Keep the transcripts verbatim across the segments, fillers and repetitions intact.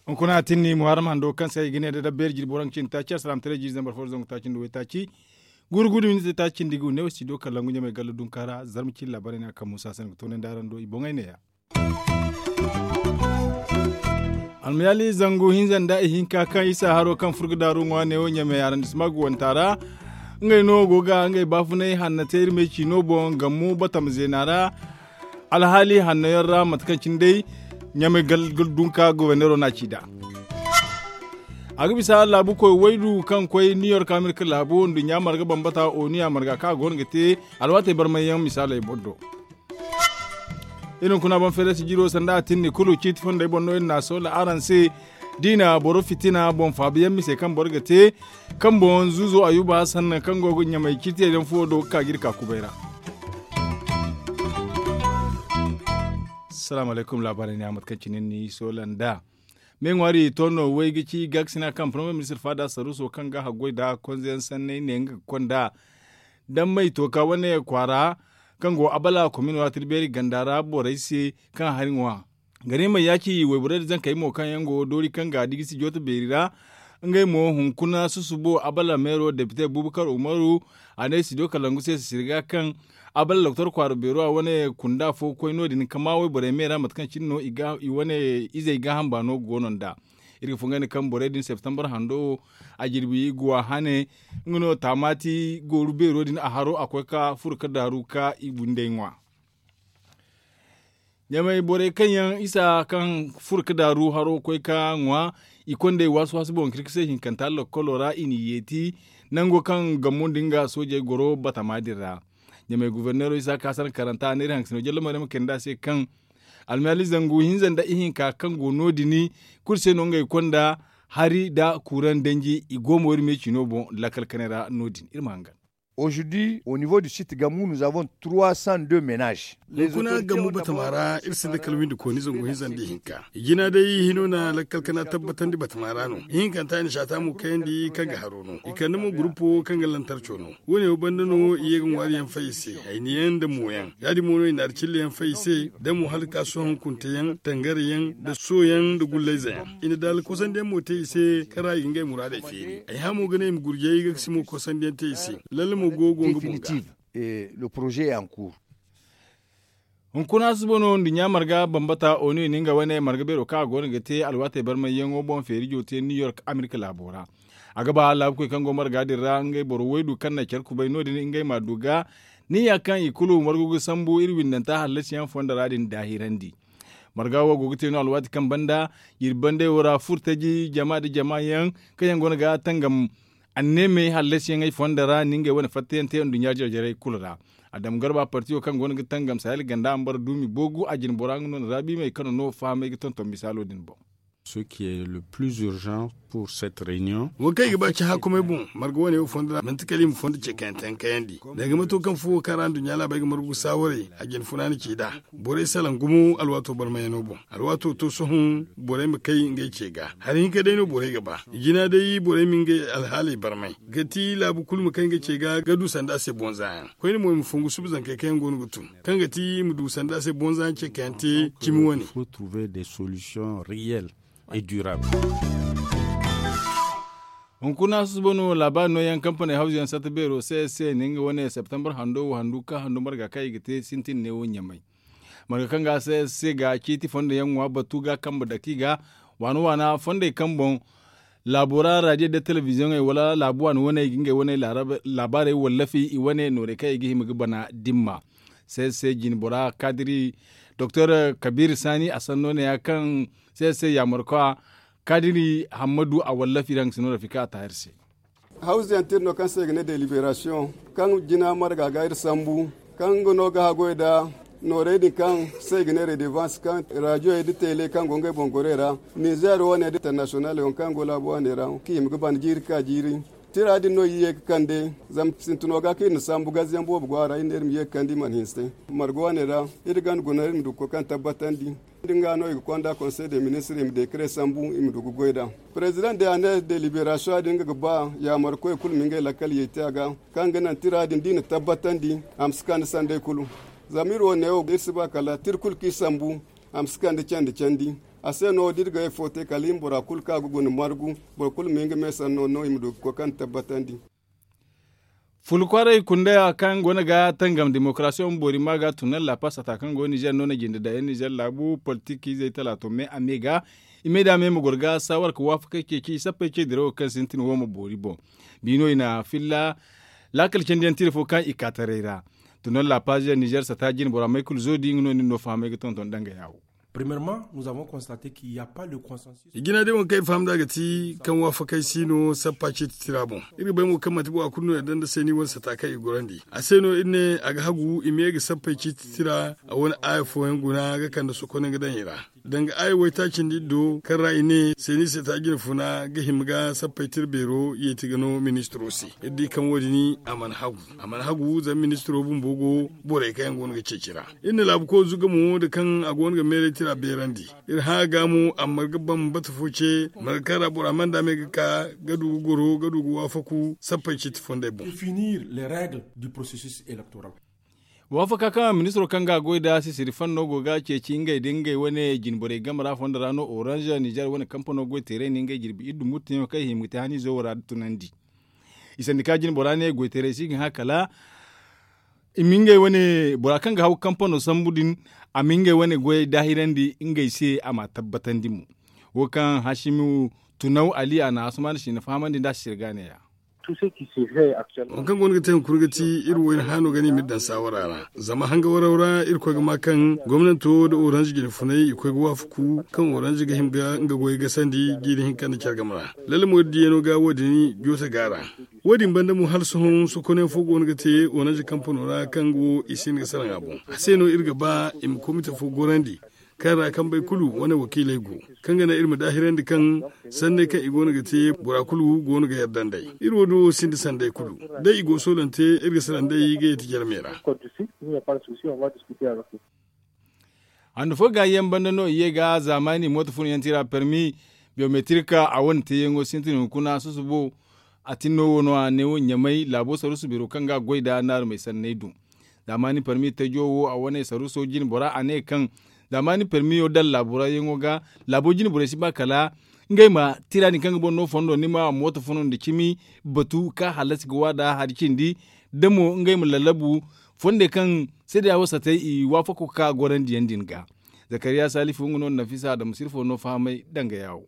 Hunkuna tinni muharram hando kaŋ se ay ga ne da dabbeeri jirbi waranka cindi taaci alsalaam taray jiiri zambar fo da zangu taaci nda waytaaci. Guuru guuru minti taaci nda i ga wu ne wo studio kalangu ɲamay galla dunka ra zarma cine laabaarey no a kaŋ muusa se no ga toonandi araŋ do i boŋey neeya. Almayaali zangu hinza nda ihinka kaŋ isa haro kaŋ furo ga daaru ŋwa neewo ɲamay arrondissement ga wanta ra. Ngey no go ga ngey baafunay hanna te iri me ciino boŋ gammu batama zeena ra. Alhaali hanno yaŋ ra mate kaŋ cine day ɲamay gal dunka goborneero no a ci nd'a. A ga bisa laabu koy waydu kaŋ koy new york amerika laabu nduɲɲa marga bambata onu ya marga kaŋ a go no ga te alwaatey barmay yaŋ misaaley boŋ do. Iri hunkuna boŋ feerasi jiro sanda a tinni kulu ciiti fondey boŋ no iri n'a soola araŋ se. Da i na boro fitina boŋ faabu yaŋ mise kaŋ boro ga te kaŋ boŋ zuuzo ayuba hasan kaŋ go ga ɲamay ciitiyey daŋ fuwo do ga ka ga iri ka kubay ra. Salaamu alaykum laabaarey ne a mate kaŋ cine ni soola nd'a. Me ŋwaari to no way ga ci gaakasina kaŋ parmiye ministir faada saruuso kaŋ ga haggoy nda konze yaŋ sanney ne nga ga konda dammey tooka wane kwaara kaŋ go abala komin waati beeri ganda ra borey se kaŋ hari ŋwa. Gari ma yaaci wayborey da zankey mo kaŋ yaŋ go doori kaŋ ga digi si jooto beeri ra. Ngey mo hunkuna susubo abala meero depite bubakar umaru a ne studio kalangu se sisiri ga kaŋ abala doktor kwaara beero a wane kunda fo koy no- din ka maa wayborey me ra mate kaŋ cine no i wane izey gaaham baano go no nd'a. Iri ga fungandi kaŋ borey din septembar hando wo a jirbi guwa hane. Nga no taamaati gooru beero din a haro a koy ka furo ka daaru ka i bundey ŋwa. Ɲamay borey kaŋ yaŋ isa kaŋ furo ka daaru haro koy ka ŋwa i kondey waasi waasi boŋ kirki se hinkanta lokkolo ra i n'i yeeti nango kaŋ gammo din ga soojey goro batama din ra. Ɲamay guberneero isa ka sanda karanta a ne iri hangasino jalla maryama kayndi a se kaŋ almaali zangu hinza nda ihinka kaŋ go no- din kulu se no ngey konda hari nda kuuraŋ danji i go mo iri me ciino boŋ lakkal kanay ra no- din iri ma hangan. Aujourd'hui au niveau du site gamu nous avons trois cent deux ménages. Hunkuna gamu batama ra iri sinda kala windi kooni zangu hinza nda ihinka i jina day hino na lakkal kana tabbatandi batama ra no ihinkanta i na saata mo kayandi kaŋ ga haro no i kande mo gurupo kaŋ ga lantarco no. Wo- ne wo banda no i ye ga ŋwaari yaŋ fay i se hayni yaŋ nda mo yaŋ ya- din mo no i na hari cilla yaŋ fay i se da mo hala ka sohõ hunkunte yaŋ tangare yaŋ nda sooyaŋ nda gullayze yaŋ. I na daala kosandi yaŋ mo te i se kaŋ ra i ga ngey muraadey feeri ay hã mo ga ne i ma gurjay ga ga si mo kosandi yaŋ te i se. Lalle mo go go nga boŋ ga. Le projet yanku. Hunkuna suba no nduɲɲa marga bambata onu i na nga wane marga beero kaŋ a go no ga te alwaatey barmayyaŋo boŋ feeri jooti yaŋ new york amerika laabo ra. A ga ba laabukoy kaŋ go marga din ra ngey boro waydu kaŋ na care kubay no- din ngey m'a du ga niya kaŋ i kulu margu ga sambu iri windanta hallasiyaŋ fonda ra din daahirandi. Marga wo go ga te no alwaati kaŋ banda iri bandey wo ra furtaji jama nda jama yaŋ kaŋ yaŋ go no ga tangam anneemey hallasiyaŋey fonda ra ni ngey wane fattayaŋ te nduɲɲa jarjarey kulu ra. Adam garba partiyo kaŋ go no ga tangam sahel ganda a ma bara duumi boogu a jine bora nga no na raabi may kaŋ no no fahamay ga tonton misaalo din boŋ. Ce qui est le plus urgent pour cette réunion. Wo kaŋ i ga ba ci hakumay boŋ marga wane wo fondo ra manti kala i ma fondo ce kaŋ yaŋ te yaŋ kayandi danga mato kaŋ fuwo kaŋ ra nduɲɲa laabey ga margu ga saawaray a jine funaani ci nd'a. Borey salaŋ gumo alwaato barmayano boŋ alwaato to sohõ borey ma kay ngey ce ga hari hinka day no borey ga ba i jina day borey ma ngey alhaaley barmay ga ti laabu kulu ma kay ngey ce ga ga du sanda se bonza yaŋ koyne mo i ma fongu suba zankey kaŋ yaŋ go no ga tun kaŋ ga ti i ma du sanda se bonza yaŋ ce kaŋ yaŋ te cimi wane. Hunkuna susuba no laabaari no yaŋ kampaney hawzu yaŋ satta beero se se ne nga wane septembar hando wo handu ka handu marga kaŋ i ga te sintin ne wo ɲamay. Marga kaŋ ga se se ga ciiti fondo yaŋ ŋwa batu ga kambe daki ga waana waana fondey kaŋ boŋ laabo ra radio nda telebiziyoŋey wala laabu waani wane i ga ngey wane laabaarey wallafi i wane noorey kaŋ i ga hima ga bana dimma. Se se jine bora kaadiri doktor kabiir saani a sanno ne ya kaŋ se se yaamarkwa kaadiri hammadu a wallafi ra nga si no rafika a taahir se. Hawzu yaŋ tira no kaŋ se i ga ne deliberasiyoŋ kaŋ jina marga ga iri sambu kaŋ nga no ga haggoy nda noorey din kaŋ se i ga ne redevans kaŋ raadiyoyey nda tele kaŋ go ngey boŋ gorey ra nizer wane nda internasiyonal yaŋ kaŋ go laabu wane ra kaŋ i hima ga bana jiiri ka jiiri. Tira din no iri ye ga kande zama sintino ga kaŋ iri na sambu gaziyaŋ boobo go a ra iri ne iri ma ye ga kande i mana hinse marga wane ra. Iri ganda guna iri ma du ga koy kaŋ tabbatandi Din ga no i ga konda konsey de ministir i ma dekare sambu i ma du ga goy nd'a. Perezidaŋ de a ne deliberasiyoŋ din nga ga ba yaamarkoy kulu ma ngey lakkal yey te a ga, kaŋ ga naŋ tira din da i na tabbatandi a ma si kande sanday kulu. Zama iri wo neewo iri si ba kala tira kulu kaŋ i sambu a ma si kande candi candi. A se no da iri ga ye fo te kala i ma bora kulu kaŋ a ga guna margu, boro kulu ma hin ga me sanno no i ma du ga koy kaŋ tabbatandi. Fulu kwaaray kundaya kaŋ go no ga tangam demokarasiyaŋ boori ma ga tunan lapas sata kaŋ go nizer no na jinde daŋ yaŋ nizer laabu politik izey talaato me a me ga i me da me ma goro ga saawar ka waafakey ceeci sappey ce dirawo kaŋ sintin wo ma boori boŋ. Biino i na filla laakal candiyaŋ tira fo kaŋ i ka taray ra. Tunan lapas nizer sata jine bora may kulu zo di nga no nin no fahamay ga tonton danga yaawo. Premièrement, nous avons constaté qu'il y a pas le consensus. I jina day waŋ kaŋ i faham nd'a ga ti kaŋ waafakey si no sappa ciiti tira boŋ. Iri ga bay mo kaŋ manti bora kulu no yadda nda seeni wane sata kaŋ i gorandi a se no iri ne a ga hagu i ma ye ga sappey ciiti tira a wane aaya fooyaŋ guna ga kande sokoney ga daŋ i ra. Danga aaya waytaaci nda iri do kaŋ ra i ne seeni sata jine funa ga hima ga sappey tira beero yeeti ga no ministiro se. Iri di kaŋ wo- din a mana hagu a mana hagu zama ministiro bumbo go borey kaŋ yaŋ go no ga ceeci ra. Iri na laabu koy zuga mo nda kaŋ a go no ga meeray tira beerandi. Iri hã ga mo amma ga ban bata fo ce marga kaŋ ra bora mana daame ga ka ga du ga goro ga du ga waafaku sappey ciiti fondey boŋ. Définir les règles du processus électoral. Waafaka kaŋ ministiro kaŋ ga a goy nd'a sisiri fanno go ga ceeci ngey da ngey wane jinborey game ra fondo ra no orange nizer wane kampano goy teeray na ngey jirbi iri du murtayaŋo kaŋ i hima ga te haniizo wo ra da tunandi. I sandika jinbora ne goytaray si ga hã kala i ma ngey wane bora kaŋ ga haw kampano sambu din a ma ngey wane goyey daahirandi ngey se a ma tabbatandi mo. Wo kaŋ hasimu tunaw ali a na asuman si na fahamandi nda a si sirga neeya. Waŋ kaŋ go no ga te hunkuna ga ti iri wayna haano ga no i m'iri daŋ saawara ra zama hanga waraw ra irkoy ga ma kaŋ gomnanto nda orange jinfunay i koy ga waafaku kaŋ orange ga hima ga nga goyey gasandi jiiri hinka nda care game ra. Lalle mo iri diyaŋo ga wo- din joote ga a ra. Wo- din banda mo hala sohõ sokonayaŋ fo go no ga te orange kampano ra kaŋ go i si hin ga salaŋ a boŋ a se no iri ga ba i ma komite fo gorandi kaŋ ra kambey kulu wane wakiiley go kaŋ ga naŋ iri ma daahirandi kaŋ sanney kaŋ i go no ga te bora kulu go no ga yadda nd'ey. Iri wo- din wo sinda sanday kulu day i go soolante iri ga salaŋ nd'ey ga yeeti jarmey ra. Handu fo gaayyaŋ banda no i ye ga zaamaani mooto fun yaŋ tira permi biyometirika a wane teeyaŋo sintin hunkuna susubo. A tinno wo no a ne ɲamay laabo sarusu biro kaŋ ga a goy nd'a naarumey sanney do. Zaamaani permi tajo wo a wane saruso jine bora a ne kaŋ zaamaani permiyo daŋ laabo ra yaŋo ga laabo jine borey si ba kala ngey ma tira din kaŋ ga boro no fondo ni ma mooto fun nda cimi batu ka halasi ga waada hari cindi da mo ngey ma lallabu fonde kaŋ seeda wo satay i waafako ka gorandiyaŋ din ga. Zakariya salifu nga no nafisa adama sirfo no fahamay danga yaawo.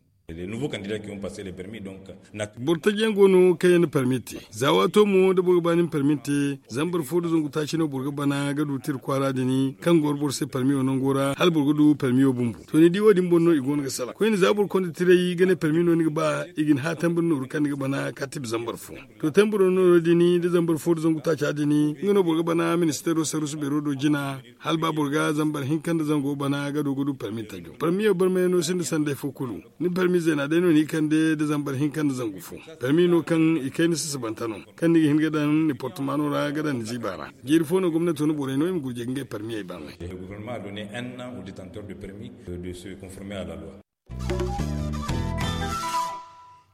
Boro taji yaŋ go no kaŋ yaŋ na permit te za waato mo da boro ga ba ni ma permit te zambar fo da zangu taaci no boro ga bana ga du tira kwaara din kaŋ goro boro se permi wo nango ra hala boro ga du permi wo bumbo to ni di wo- din boŋ no i go no ga salaŋ koyne za boro konda tiray ga ne permi no ni ga ba i ga ni haatambi ni nooru kaŋ ni ga bana ka tibi zambar fo. To tamburo no din da zambar fo da zangu taaca din nga no boro ga bana ministeero sarusu beero do jina hala ba boro ga zambar hinka nda zango bana ga du ga du permi tajo permiyo barmay no sinda sanday fo kulu. Ni permi zeena day no ni kande da zambar hinka nda zangu fo. Permi no kaŋ i kay ni sasabanta no kaŋ ni ga hin ga daŋ ni portumano ra ga daŋ ni ziiba ra. Jiiri fo no gomnato ni borey no i ma gurje ga ngey permiyey barmay. Gouvernement a donné un an au détenteur de permis de se conformer à la loi.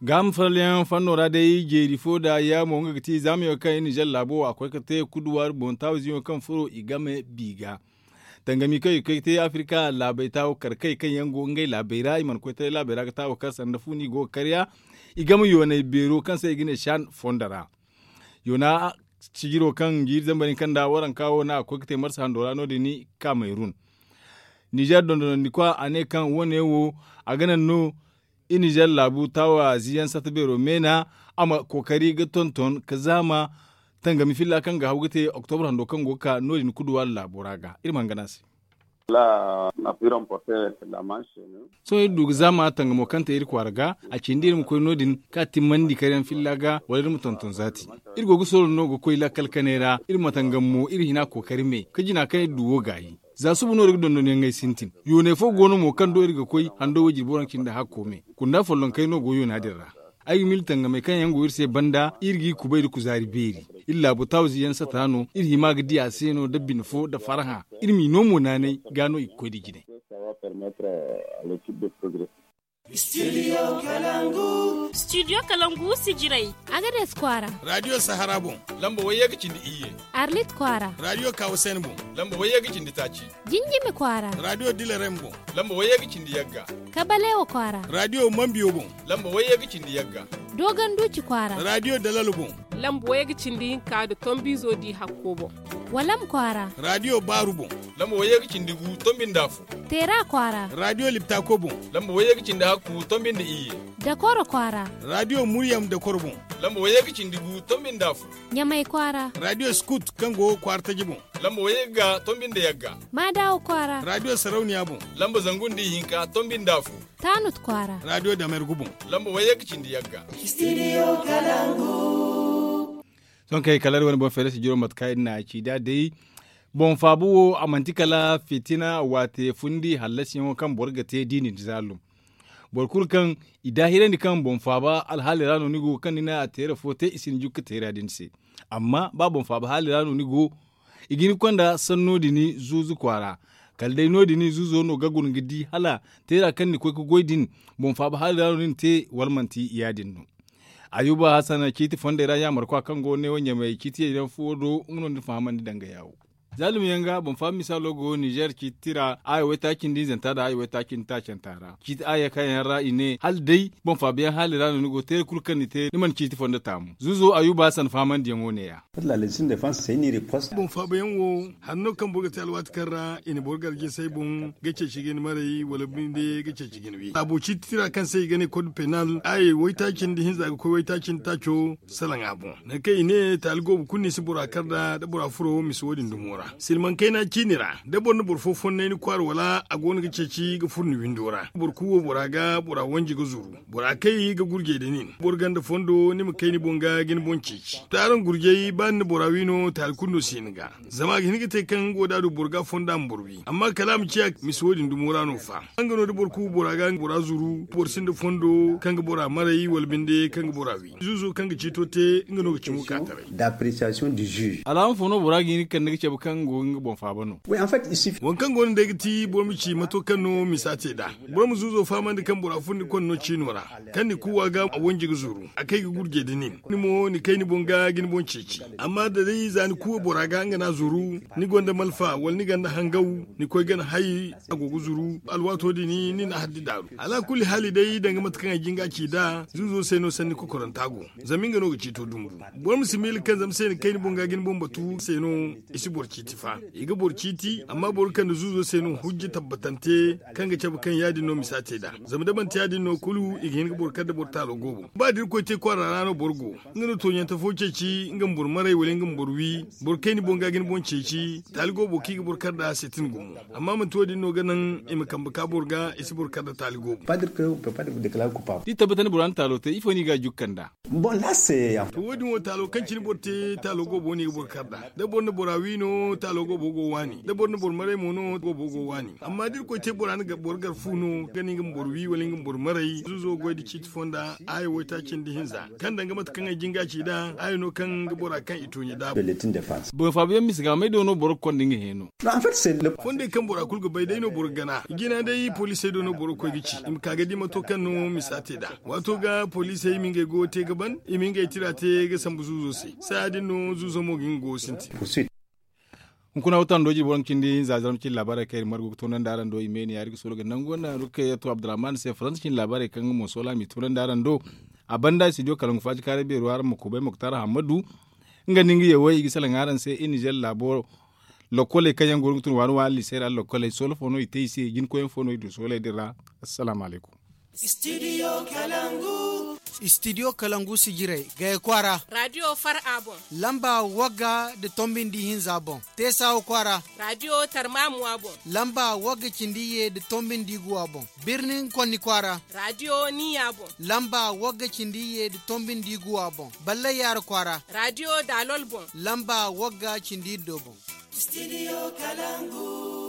Gaama falyaŋ fanno ra day jeeri fo da yaamo nga ga ti zaamayo kaŋ i na zalla laabo a koy ga te kuduwar boŋ taawiziyaŋo kaŋ furo i game bi ga. Tangami kaŋ i ga koy ga te afirka laabey taawo kar kay kaŋ yaŋ go ngey laabey ra i mana koy taray laabey ra ga taawo kar sanda fu no i go ga karya. I game yoonay beero kaŋ se i ga ne shan fondo ra. Yoona sijiro kaŋ jiiri zambar hinka nda waranka wo no a ga koy ga te marsa hando ra no- din i ga ka mayrun. Nizer dondonandikwa a ne kaŋ wo- ne wo a ga naŋ no i nizer laabu taawa ziyaŋ sata beero meena a ma kookari ga tonton ka zaama tangami filla kaŋ ga haw ga te oktobra hando kaŋ go ga ka no- din kuduwaari laabo ra ga iri ma hangan a se. Sohõ iri du ga zaama tangamo kaŋ te iri kwaara ga a cindi iri ma koy no- din ka timmandi karyaŋ filla ga wala iri ma tonton zaati. Iri go ga sooro no ga koy lakkal kanay ra iri ma tangam mo iri hina kookari me ka jina kaŋ iri du wo gaayi. Za suba no iri ga dondonyaŋey sintin yooney fo go no mo kaŋ do iri ga koy hando woy jirbi waranka cindi hakko me kunda follonkey no go yoona din ra. Ay ga miila tangamey kaŋ yaŋ go iri se banda iri g'i kubay nda kuzaari beeri. Iri laabu tawzi yaŋ sata no iri hima ga di a se no nda bine fo nda farhã. Iri m'i no mo naanay ga no i ga koy nda jinay. Studio kalangu. Studio kalangu sijirey. Agades kwaara. Radio sahara boŋ. Lamba wayye ga cindi iyye. Arlit kwaara. Radio kawasen boŋ. Lamba wayye ga cindi taaci. Jinjimi kwaara. Radio dilarem boŋ. Lamba wayye ga cindi yagga. Kabalewa kwaara. Radio mambiyo boŋ. Lamba wayye ga cindi yagga. Dogon duci kwaara. Radio dalalo boŋ. Lamba wayye ga cindi hinka da tombizo di hakko boŋ. Walam kwaara. Radio baaru boŋ. Lamba wayye ga cindi gu tombi nda fu. Teera kwaara. Radio liptako boŋ. Lamba wayye ga cindi hakku tombi nda iyye. Dakoro kwaara. Radio muryam dakoro boŋ. Lamba wayye ga cindi gu tombi nda fu. Ɲamay kwaara. Radio skut kaŋ go kwaara taji boŋ. Lamba wayye ga tombi nda yagga. Maadawo kwaara. Radio sarauniya boŋ. Lamba zangu nda ihinka tombi nda fu. Tanut kwaara. Radio damergu boŋ. Lamba wayye ga cindi yagga. Sohõ kay kala iri wane boŋ feere sijiro mate kaŋ iri na a ci da day. Boŋ faaba wo a manti kala fitina waate fundi hallasiyaŋo kaŋ boro ga te da i na ni zaalum. Boro kulu kaŋ i daahirandi kaŋ boŋ faaba alhaali ra no ni go kaŋ ni na a teera fo te i si ni jukka teera din se. Amma ba boŋ faaba haali ra no ni go i ga ni konda sanno din zuuzu kwaara. Kala day no- din zuuzo no ga guna ga di hala teera kaŋ ni koy ga goy din boŋ faaba haali ra no ni na te wala manti ya- din no. Ayuba hasan ciiti fondey ra yaamarkwa kaŋ go neewo ɲamey ciiti yayyaŋ fuwo do nga no ni fahamandi danga yaawo. Zaalum yaŋ ga boŋ faaba misaalo go nizer ciiti ra aya waytaaci nda hinzanta nda aya waytaaci nda taacanta ra ciiti aya kaŋ yaŋ ra i ne hala day boŋ faaba yaŋ haali ra no ni go teeri kulu kaŋ ni te ni mana ciiti fondo taamu zuuzo ayuba hasan fahamandiyaŋo neeya. Boŋ faaba yaŋ wo hari no kaŋ boro ga te alwaati kaŋ ra i na boro garje say boŋ ga ceeci ga ni maray wala binde ga ceeci ga ni wi laabo ciiti tira kaŋ se i ga ne kod penal aya waytaaci nda hinza ga koy waytaaci nda taaco salaŋ a boŋ. Nangu kaŋ i ne taali goobo kulu no i si bora kar nd'a da bora furo misa wo- din dumo ra silmaŋ kayna ciini ra da boro na boro fo fonnay ni kwaara wala a go no ga ceeci ga furo ni windo ra boro kuuwo bora ga bora wanji ga zuru bora kay ga gurjey da nin boro ganda fondo ni ma kay ni boŋ ga ga ni boŋ ceeci. Taaraŋ gurjey ba ni na bora wi no taali kulu no si hin ga zama a ga hin ga te kaŋ nga wo da a du boro ga fondo a ma boro wi amma kala a ma ciya misa wo- din dumo ra no fa. Nga no da boro kuuwo bora ga bora zuru boro sinda fondo kaŋ ga bora maray wala binde kaŋ ga bora wi zuuzo kaŋ ga ciito te nga no ga cimo ka taray. D'appréciation du juge. Alaama fo no bora ga hin ga kande ga cabe kaŋ go ga nga boŋ faaba no. Waŋ kaŋ go no day ga ti boro ma ci mato kaŋ no misa te nd'a. Boro ma zuuzo fahamandi kaŋ bora furo ni konno ciino ra kaŋ ni kuuwa ga a wanji ga zuru a kay ga gurje da nin ni mo ni kay ni boŋ ga ga ni boŋ ceeci. Amma da day za ni kuuwa bora ga nga no a zuru ni gonda malfa wala ni gonda hangaw ni koy gana hay a go ga zuru alwaato din ni na haddi daaru. Alaakulli haali day danga mate kaŋ ay jin ga a ci nd'a zuuzo se no sanni kokoranta go. Zama nga no ga ciito dumbu boro ma si miila kaŋ zama se ni kay ni boŋ ga ga ni boŋ batu se no i si boro ciiti fa. I ga boro ciiti amma boro kaŋ na zuuzo se no hujja tabbatante kaŋ ga cabe kaŋ ya- din no misa te nd'a. Zama da manti ya- din no kulu i ga hin ga boro kar nda boro taalo goobo ba da irkoy te kwaara ra no boro go nga no tooɲante fo ceeci nga ma boro maray wala nga ma boro wi boro kay ni boŋ ga ga ni boŋ ceeci taali goobo kaŋ i ga boro kar nd'a se tin gumo. Amma manti wo- din no ga naŋ i ma kambe ka boro ga i si boro kar nda taali goobo. Da i tabbatandi bora na taalo te ifo no i ga a jukka nd'a? To wo- din wo taalo kaŋ cine boro te taalo goobo no i ga boro kar nd'a da boro na bora wi no taalo goobo go waani da boro na boro maray mo no goobo go waani. Amma da irkoy te bora na boro gar fu no ga no nga ma boro wi wala nga ma boro maray zuuzo goy nda ciiti fonda aya waytaaci nda hinza kaŋ danga mate kaŋ ay jin ga a ci nd'a aya no kaŋ ga bora kaŋ i tooɲe daabo. Boŋ faabu yaŋ misa ga may do no boro ga konda nga heeno. Fondey kaŋ bora kulu ga bay day no boro ga gana jina day poliisey do no boro ga koy ga ci i ma ka ga di mato kaŋ no misa te nd'a. Waato ga poliisey ma ngey goyo te ga ban i ma ngey tira te ga sambu zuuzo se saaya din no zuuzo mo ga nga goyo sintin. Hunkuna wata no doji boro ga cindi hinza zarma cindi laabaarey kaŋ iri margu ga toonandi araŋ do i meeni yaari ga soolo ga nangu wanda no ga kay yato abdurrahman se faransa cindi laabaarey kaŋ nga mo soola m'i toonandi araŋ do. A banda studio kalangu faaci kaaray beero araŋ ma kubay moktar hammadu. Nga nda nga yawey i ga salaŋ araŋ se i nizer laabo lokkoley kaŋ yaŋ go no ga tun waani waani liisey ra lokkoley soola fo no i te i se jinkoyaŋ fo no i du sooley din ra. Assalaamu alaykum. Studio kalangu sijirey gaya kwaara. Radio far a boŋ. Lamba wagga nda tombi nda ihinza boŋ. Teesawa kwaara. Radio tarmamuwa boŋ. Lamba wagga cindi iyye nda tombi nda iguwa boŋ. Birnin konni kwaara. Radio niya boŋ. Lamba wagga cindi iyye nda tombi nda iguwa boŋ. Ballay yaara kwaara. Radio daalol boŋ. Lamba wagga cindi iddo boŋ. Studio kalangu.